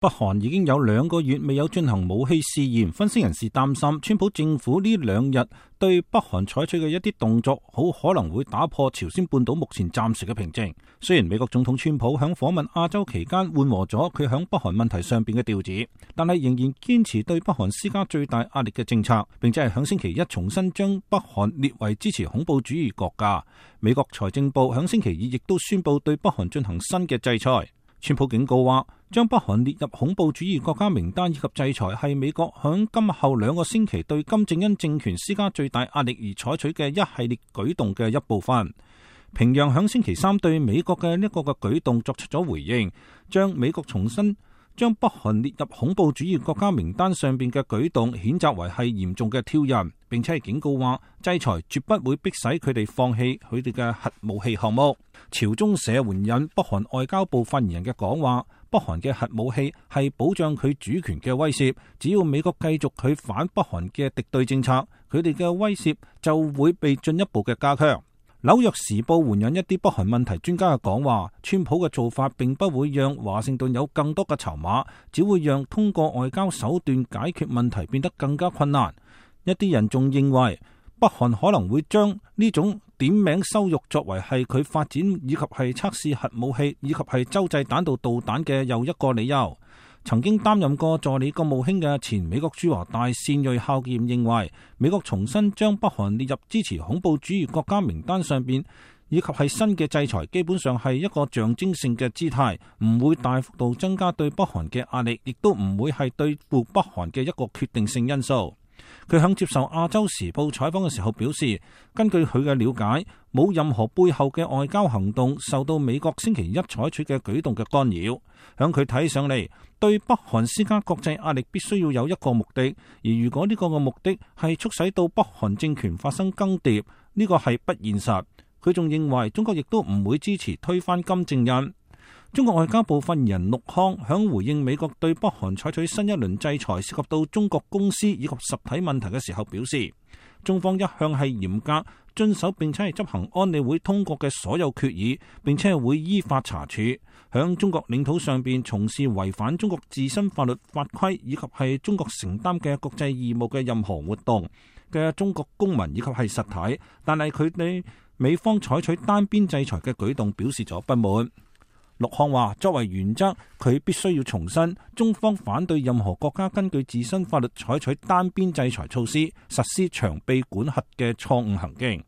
北韓已經有2個月未有進行武器試驗，分析人士擔心川普政府呢2日對北韓採取嘅一啲動作，好可能會打破朝鮮半島目前暫時嘅平靜。雖然美國總統川普響訪問亞洲期間緩和咗佢響北韓問題上邊嘅調子，但係仍然堅持對北韓施加最大壓力嘅政策，並且係響星期一重新將北韓列為支持恐怖主義國家。美國財政部響星期2亦都宣布對北韓進行新嘅制裁。川普警告話，將北韓列入恐怖主義國家名單以及制裁係美國響今後2個星期對金正恩政權施加最大壓力而採取嘅一系列舉動嘅一部分。平壤響星期3對美國嘅呢個嘅舉動作出咗回應，將美國重新將北韓列入恐怖主義國家名單上邊嘅舉動譴責為係嚴重嘅挑釁，並且係警告話制裁絕不會迫使佢哋放棄佢哋嘅核武器項目。朝中社援引北韓外交部發言人嘅講話，北韓嘅核武器係保障佢主權嘅威懾，只要美國繼續佢反北韓嘅敵對政策，佢哋嘅威懾就會被進一步嘅加強。紐約時報援引一啲北韓問題專家嘅講話，川普嘅做法並不會讓華盛頓有更多嘅籌碼，只會讓通過外交手段解決問題變得更加困難。一啲人仲認為北韓可能會將呢種點名羞辱作為係佢發展以及係測試核武器以及係洲際彈道導彈嘅又一個理由。曾經擔任過助理國務卿嘅前美國駐華大使瑞孝劍認為，美國重新將北韓列入支持恐怖主義國家名單上邊，以及係新嘅制裁，基本上係一個象徵性嘅姿態，唔會大幅度增加對北韓嘅壓力，亦都唔會係對付北韓嘅一個決定性因素。佢響接受亞洲時報採訪嘅時候表示，根據佢嘅了解，冇任何背後嘅外交行動受到美國星期一採取嘅舉動嘅干擾。響佢睇上嚟，對北韓施加國際壓力必須要有一個目的，而如果呢個嘅目的係促使到北韓政權發生更迭，呢個係不現實。佢仲認為中國亦都唔會支持推翻金正恩。中國外交部發言人陸康響回應美國對北韓採取新一輪制裁涉及到中國公司以及實體問題嘅時候表示，中方一向係嚴格遵守並且係執行安理會通過嘅所有決議，並且係會依法查處響中國領土上邊從事違反中國自身法律法規以及係中國承擔嘅國際義務嘅任何活動嘅中國公民以及係實體，但係佢哋美方採取單邊制裁嘅舉動表示咗不滿。陸康話，作為原則，佢必須要重申，中方反對任何國家根據自身法律採取單邊制裁措施，實施長臂管轄嘅錯誤行徑。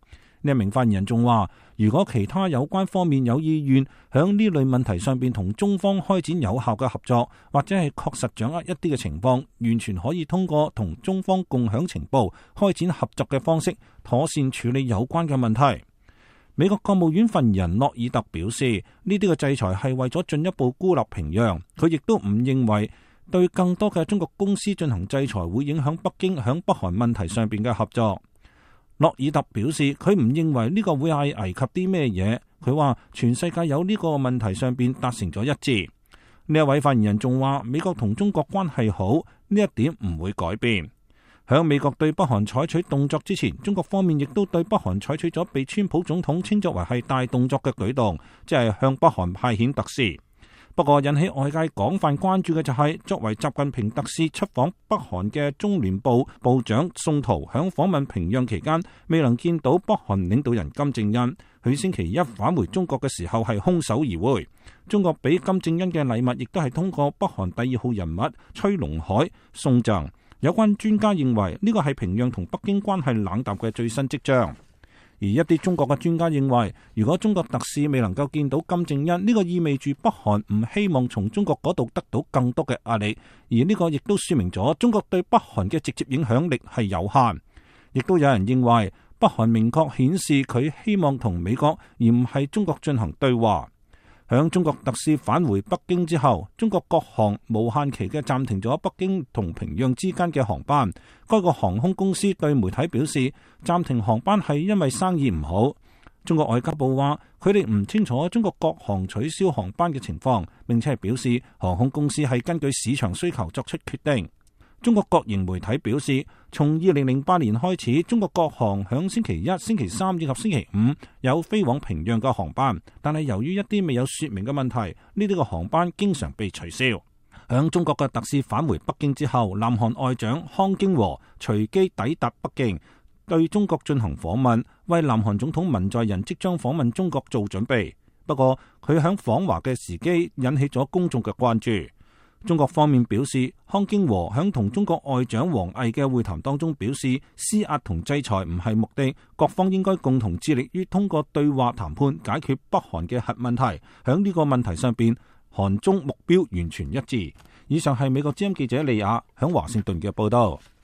呢一名發言人仲話，如果其他有關方面有意願響呢類問題上邊同中方開展有效嘅合作，或者係確實掌握一啲嘅情況，完全可以通過同中方共享情報、開展合作嘅方式，妥善處理有關嘅問題。美國國務院發言人諾爾特表示，呢啲嘅制裁係為咗進一步孤立平壤。佢亦都唔認為對更多嘅中國公司進行制裁會影響北京響北韓問題上邊嘅合作。諾爾特表示，佢唔認為呢個會係危及啲咩嘢。佢話全世界有呢個問題上邊達成咗一致。呢一位發言人仲話，美國同中國關係好，呢一點唔會改變。響美國對北韓採取動作之前，中國方面亦都對北韓採取咗被川普總統稱作為係大動作嘅舉動，即係向北韓派遣特使。不過引起外界廣泛關注嘅就係，作為習近平特使出訪北韓嘅中聯部部長宋濤，響訪問平壤期間未能見到北韓領導人金正恩。佢星期一返回中國嘅時候係空手而回。中國俾金正恩嘅禮物亦都係通過北韓第2號人物崔龍海送贈。有關專家認為呢個係平壤同北京關係冷淡嘅最新跡象，而一啲中國嘅專家認為，如果中國特使未能夠見到金正恩，呢個意味住北韓唔希望從中國嗰度得到更多嘅壓力，而呢個亦都說明咗中國對北韓嘅直接影響力係有限。亦都有人認為北韓明確顯示佢希望同美國而唔係中國進行對話。響中國特使返回北京之後，中國國航無限期嘅暫停咗北京同平壤之間嘅航班。該個航空公司對媒體表示，暫停航班係因為生意唔好。中國外交部話，佢哋唔清楚中國國航取消航班嘅情況，並且係表示航空公司係根據市場需求作出決定。中國國營媒體表示，從2008年開始，中國國航響星期一、星期三以及星期五有飛往平壤嘅航班，但係由於一啲未有說明嘅問題，呢啲嘅航班經常被取消。響中國嘅特使返回北京之後，南韓外長康京和隨機抵達北京，對中國進行訪問，為南韓總統文在寅即將訪問中國做準備。不過佢響訪華嘅時機引起咗公眾嘅關注。中國方面表示，康京和響同中國外長王毅嘅會談當中表示，施壓同制裁唔係目的，各方應該共同致力於通過對話談判解決北韓嘅核問題。響呢個問題上邊，韓中目標完全一致。以上係美國之音記者利亞響華盛頓嘅報道。